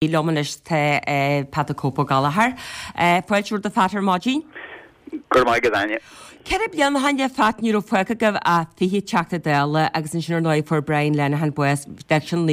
Liom anois tá Pat the Cope Ó Gallchóir. Fáilte romhat a Phat ar maidin. Go raibh maith agat Áine. 4 bliana ó shin a Phat ní raibh fágtha agaibh ach 20 Teachta Dála agus ansin ar ndóigh fuair Brian Lenihan bás i 19,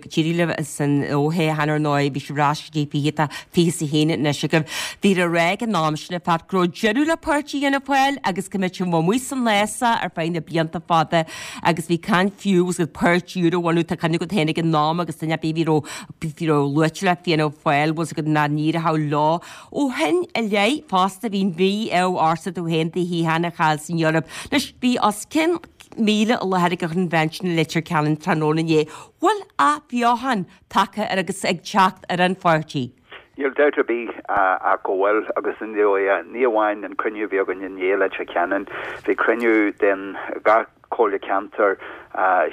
d'éirigh libh san fhothoghchán ar ndóigh bhí sibh ar ais go dtí 20 tá 21 anois agaibh. Bhíthear ag rá ag an am sin a Phat go raibh deireadh le páirtí Fhianna Fáil agus go mbeadh sibh amuigh san fhásach ar feadh na blianta fada agus bhí caint fiú agus páirtí úr a bhunú tá cuimhne agat féin ag an am agus duine ar bith a bhí raibh Bhí raibh luaite le Fianna Fáil bhfuil 's agat nach n-éireodh leo. Ó shin i leith fosta bhí mí-ádh ortsa tú féin do shuíochán a chaill san Eoraip. Anois bhí os cionn 1,000 i láthair ag an Convention i Leitir Ceanainn tráthnóna inné. Bhfuil athbheochan tagtha ar agus ag teacht ar an pháirtí? Níl dabht ar bith ach go bhfuil agus ní amháin an cruinniú a bhí againn inné i Leitir Ceanainn, bhí cruinniú den gach Comhairle Ceantair,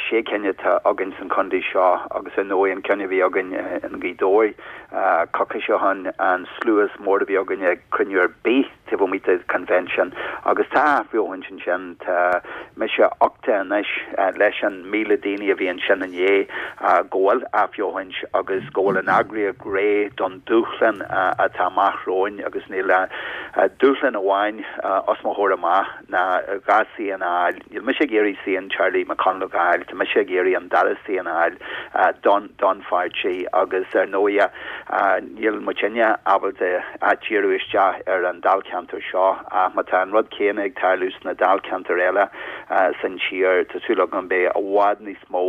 sé cinn atá againn san chontae seo agus ar ndóigh an ceann a bhí againn i nGaoth Dobhair coicís ó shin, an slua is mór a bhí againn ag cruinniú ar bith taobh amuigh de convention agus tá athbheochaint ansin, tá mise uchta anois leis an 1,000 daoine a bhí ansin inné go bhfuil athbheochaint agus go bhfuil an eagraíocht réidh don dúshlán atá amach romhainn agus níl dúshlán amháin os mo chomhair amach. ná 2 suíochán a fháil. Níl mise ag iarraidh suíochán Charlie McConalogue a fháil, tá mise ag iarraidh an dara suíochán a fháil don don pháirtí agus ar ndóighe níl muidinne ábalta díriú isteach ar an dáilcheantar seo ach má tá an rud céanna ag tarlú sna dáilcheantair eile san tír tá súil agam beidh i bhfad níos mó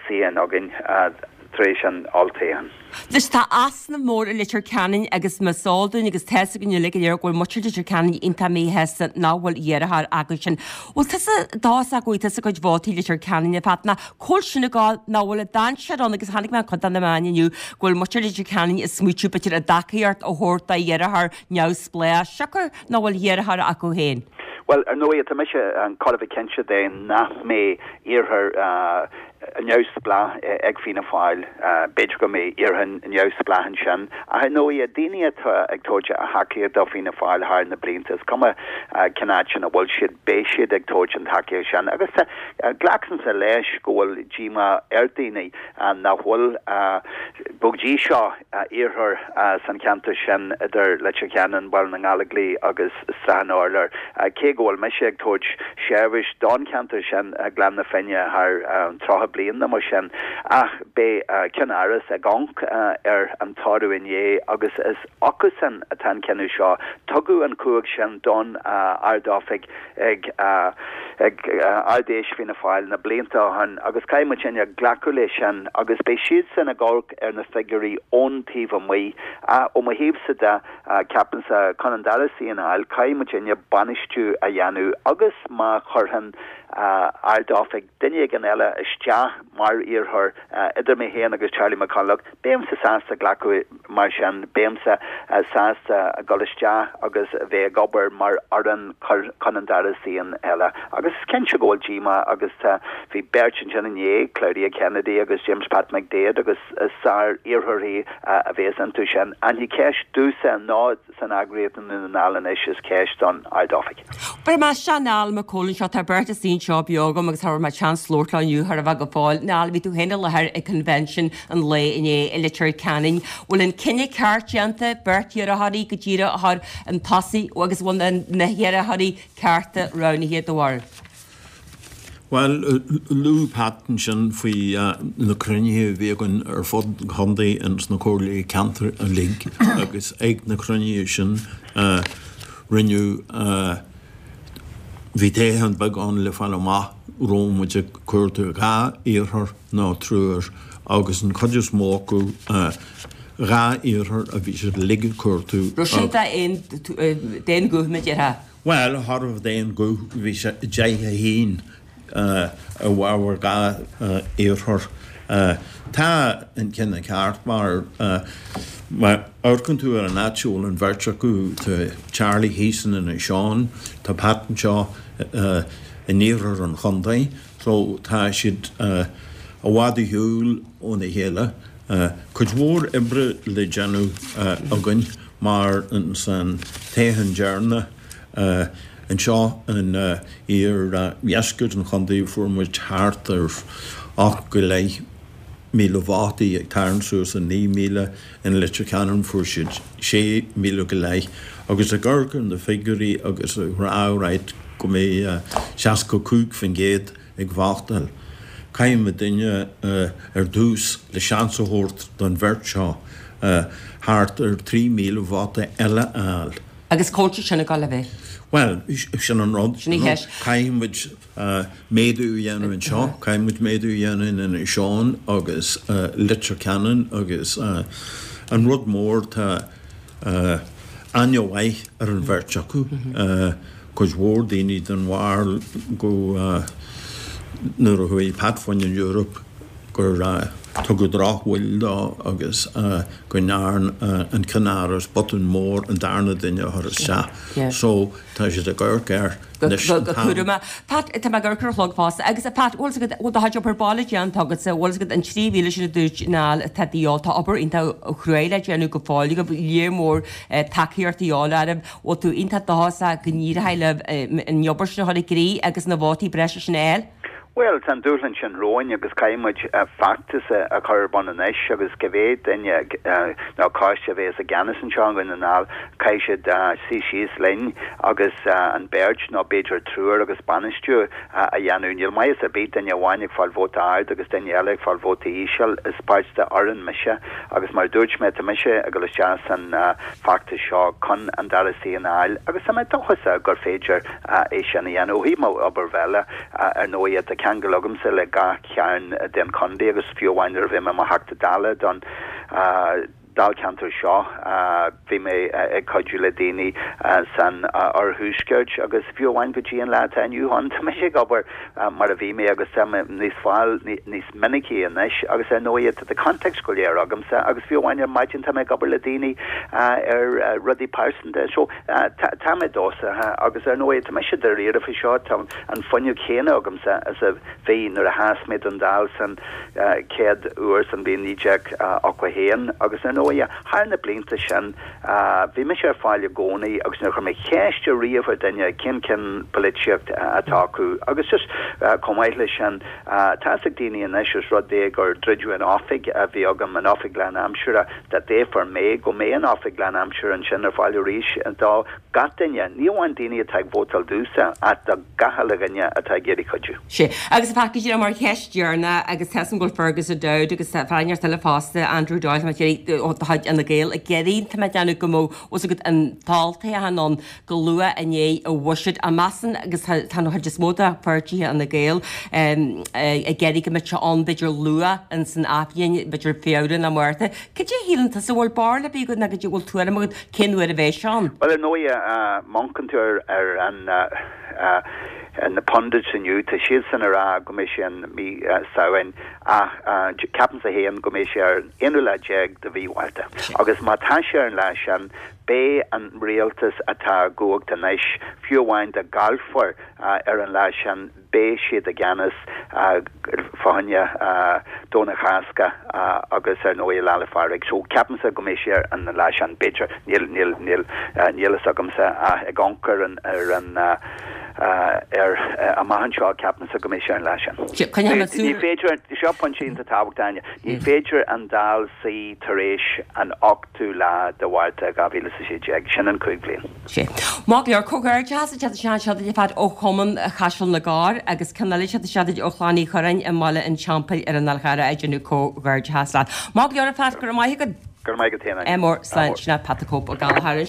suíochán againn tar éis an olltoghcháin. Anois tá easnamh mór i Leitir Ceanainn agus más eol dúinn agus tá's againn uilig go léir go bhfuil muintir Leitir Ceanainn iontach míshásta nach bhfuil iarrthóir acusan. Bhfuil tusa dóchasach go bhfaighidh tusa cuid vótaí Leitir Ceanainn a Phat nó cá bhfuil sin ag gabháil nach bhfuil an dainséar ann agus chonaic mé cuid de na meáin inniu go bhfuil muintir Leitir Ceanainn ag smaoitiú b'fhéidir a dtacaíocht a thabhairt do iarrthóir neamhspleách siocair nach bhfuil iarrthóir acu féin. Bhuel, ar ndóigh, tá mise chóir a bheith cinnte de nach mbeidh iarrthóir neamhspleách ag Fianna Fáil. B'fhéidir go mbeidh iarrthóir neamhspleách ansin. Ach ar ndóigh, daoine atá ag tabhairt a thacaíocht do Fianna Fáil thar na blianta, is cuma cén áit ina bhfuil siad, beidh siad ag tabhairt an tacaíocht sin. Agus glacaimse leis go bhfuil díomá ar daoine nach bhfuil go dtí seo iarrthóir san cheantar sin idir Leitir Ceanainn, Baile na nGallóglach agus Srath an Urláir. Cé go bhfuil mise ag tabhairt seirbhís don cheantar sin, Gleann na Finne, thar 30 bliain nó mar sin, ach beidh Ceann-Áras ag amharc ar an toradh inné agus is acusan atá an cinneadh seo. Tugadh an chumhacht sin don Ard-Oifig ag Ard-Fheis Fianna Fáil na blianta ó shin agus caithfidh muidinne glacadh leis sin agus beidh siadsan ag amharc ar na figiúirí ón taobh amuigh. Ó mo thaobhsa de, ceapaimse chun an dara suíochán a fháil, caithfidh muidinne bainistiú a dhéanamh agus má chuireann Ard-Oifig duine éigin eile isteach mar iarrthóir idir mé féin agus Charlie McConalogue, Beimse sásta glacadh mar sin, beimse sásta dul isteach agus bheith ag obair mar fhoireann chun an dara suíochán eile. Agus is cinnte go bhfuil díomá agus tá, bhí beirt ansin inné, Claudia Kennedy agus James Pat McDaid agus is sár-iarrthóirí a bheas iontu sin. Ach ní ceist domhsa ná san eagraíocht i nDún na nGall anois, is ceist don Ard-Oifig. Bhéarfaidh mé isteach Niall Mac Cóil anseo, tá beirt istigh anseo beo agam agus cha raibh mé seans labhairt leo inniu chóir a bheith go fóill. Niall, bhí tú féin i láthair ag Convention an lae inné i Leitir Ceanainn. Bhfuil an cinneadh ceart déanta, beirt iarrthóirí go díreach a chur chun tosaigh agus bhfuil na hiarrthóirí cearta roghnaithe do bharúil? Bhuel, luaigh Pat ansin faoi na cruinnithe a bhí againn ar fud an chontae ins na comhairlí ceantair uilig agus ag na cruinnithe sin rinneadh, bhí toghchán beag ann le fáil amach raibh muid ag cuartú dhá iarrthóir nó triúr agus an chuid is mó acu dhá iarrthóir a bhí siad uilig ag cuartú. Raibh sin d'aon ghuth, mar a déarfá? Bhuel, cha raibh d'aon ghuth, bhí sé 10 1 i bhfabhar dhá iarrthóir. Tá an cinneadh ceart mar má amharcann tú ar an áit a bhfuil an bheirt acu, tá Charlie thíos in Inis Eoghain, tá Pat anseo in iarthar an chontae, so tá siad i bhfad ar shiúl óna chéile. Cuid mhór oibre le déanamh againn. Mar san toghchán deireanach anseo in iardheisceart an chontae fuair muid thart ar 8 go leith. 7,000 vótaí ag tarraingt suas an 9,000 in Leitir Ceanainn fuair siad 6,000 go leith agus ag amharc ar na figiúirí agus ag rá right go mbeidh 65% ag vótáil. Caithfidh muidinne ar dtús le seans a thabhairt don bheirt seo thart ar 3,000 vóta eile a fháil. Agus cá bhfuil sé sin ag dul a bheith? Bhuel, sin an rud. Sin an cheist. Caithfidh muid méadú a dhéanamh anseo, caithfidh muid méadú a dhéanamh in Inis Eoghain agus Leitir Ceanainn agus an rud mór tá aithne mhaith ar an bheirt acu. Cuid mhór daoine den bharúil go nuair a chuaigh Pat fá choinne an Eoraip gur tugadh drochbhuille dó agus go ndearn an ceannáras botún mór an darna duine a chur isteach. So tá siad ag amharc air anois an t-am. Pat, tá mé ag amharc ar an chlog fosta. Agus Pat, bhfuil 's agat, bhfuil do chuid obair baile déanta agatsa, bhfuil 's agat an 3,000 sin a dúirt Niall atá de dhíobháil, tá obair iontach chruaidh le déanamh go fóill agaibh, léar mór tacaíocht de dhíobháil oraibh. Bhfuil tú iontach dóchasach go n-éireoidh libh an obair sin a chur i gcrích agus na vótaí breise sin a fháil? Bhuel, tá an dúshlán sin romhainn agus caithfidh muid feachtas a chur ar bun anois agus cibé duine nó coiste a bheas i gceannas anseo i nDún na nGall, caithfidh siad suí síos linn agus an beirt nó b'fhéidir triúr agus bainistiú a dhéanamh. Níl maitheas ar bith duine amháin ag fáil vóta ard agus duine eile ag fáil vóta íseal. Is páirt de fhoireann mise agus mar a dúirt mé, tá mise ag dul isteach san feachtas seo chun an dara suíochán a fháil agus tá mé dóchasach gur féidir é sin a dhéanamh. Ó thaobh mo obair bhaile, ar ndóigh, tá ceangal agamsa le gach cearn den chontae agus fiú amháin nuair a bhí mé i mo Theachta Dála don dáilcheantar seo, bhí mé ag cuidiú le daoine san oirthuaisceart agus fiú amháin go dtí an lá atá inniu ann, tá mise ag obair mar a bhí mé agus tá mé níos fáil níos minicí anois agus ar ndóigh tá na contacts go léir agamsa agus fiú amháin ar maidin tá mé ag obair le daoine ar rudaí pearsanta. So tá mé dóchasach agus ar ndóigh tá mise dáiríre faoi seo, tá an fuinneamh chéanna agamsa is a bhí nuair a sheas mé don Dáil san chéad uair san bhliain 1981 agus ar ndóigh thar na blianta sin bhí mise ar fáil i gcónaí agus níor chuir mé ceist ariamh ar duine cén cineál polaitíocht atá acu agus just chomh maith leis sin tá fhios ag daoine anois os rud é gur druideadh an oifig a bhí agam, an oifig lánaimseartha, dá dtoghfar mé go mbeidh an oifig lánaimseartha ansin ar fáil arís do gach duine, ní amháin daoine atá ag vótáil domhsa ach do gach uile dhuine atá ag iarraidh cuidiú. Sea. Agus a Phat, go díreach mar cheist dheireanach, agus tá 'fhios agam go bhfuil Fergus O'Dowd agus tá fear inteacht eile fosta, Andrew Doyle, tá mé ag iarraidh, ó de chuid Fhine Gael, ag iarraidh, tá mé ag déanamh go mbeadh fhios agat an t-olltoghchán ann go luath i ndiaidh an bhuiséid. An measann, agus tá an chuid is mó de pháirtithe Fhine Gael ag iarraidh go mbeadh sé ann b'fhéidir luath in san athbhliain, b'fhéidir Feabhra nó Márta. Cad é a shíleann tusa, bhfuil barúil ar bith agat nó cad é bhfuil tuairim agat cén uair a bheidh sé ann? Bhuel, ar ndóigh, má amharcann tú ar an na pundits inniu, tá siadsan ag rá go mbeidh sé in mí Samhain ach ceapaimse féin go mbeidh sé ar an aonú lá déag de mhí Mhárta. Agus má tá sé ar an lá sin, beidh an rialtas atá i gcumhacht anois, fiú amháin dá gcaillfear ar an lá sin, beidh siad i gceannas fá choinne Domhnach Chásca agus ar ndóigh Lá 'le Phádraig. So ceapaimse go mbeidh sé ar an lá sin, b'fhéidir, níl, níl, níl, níl fhios agamsa ach ag amharc ar an, ar an, ar amach anseo ceapaimse go mbeidh sé ar an lá sin. Ní féidir, seo pointe iontach tábhachtach Áine, ní féidir an Dáil suí tar éis an 8ú lá de Mhárta 2016, sin an 5 bhliain. Sea. Maith go leor, comhghairdeas ag teacht isteach anseo duit a Phat ó Chumann Chaiseal na gCorr agus ceann eile ag teacht isteach duit ó Chlann Uí Churráin i mBaile an Teampaill ar an Fhál Charrach ag déanamh comhghairdeachas leat. Maith go leor a Phat, go raibh maith agat. Go raibh maith agat féin, Áine. Ádh mór, slán, sin é Pat the Cope Ó Gallchóir.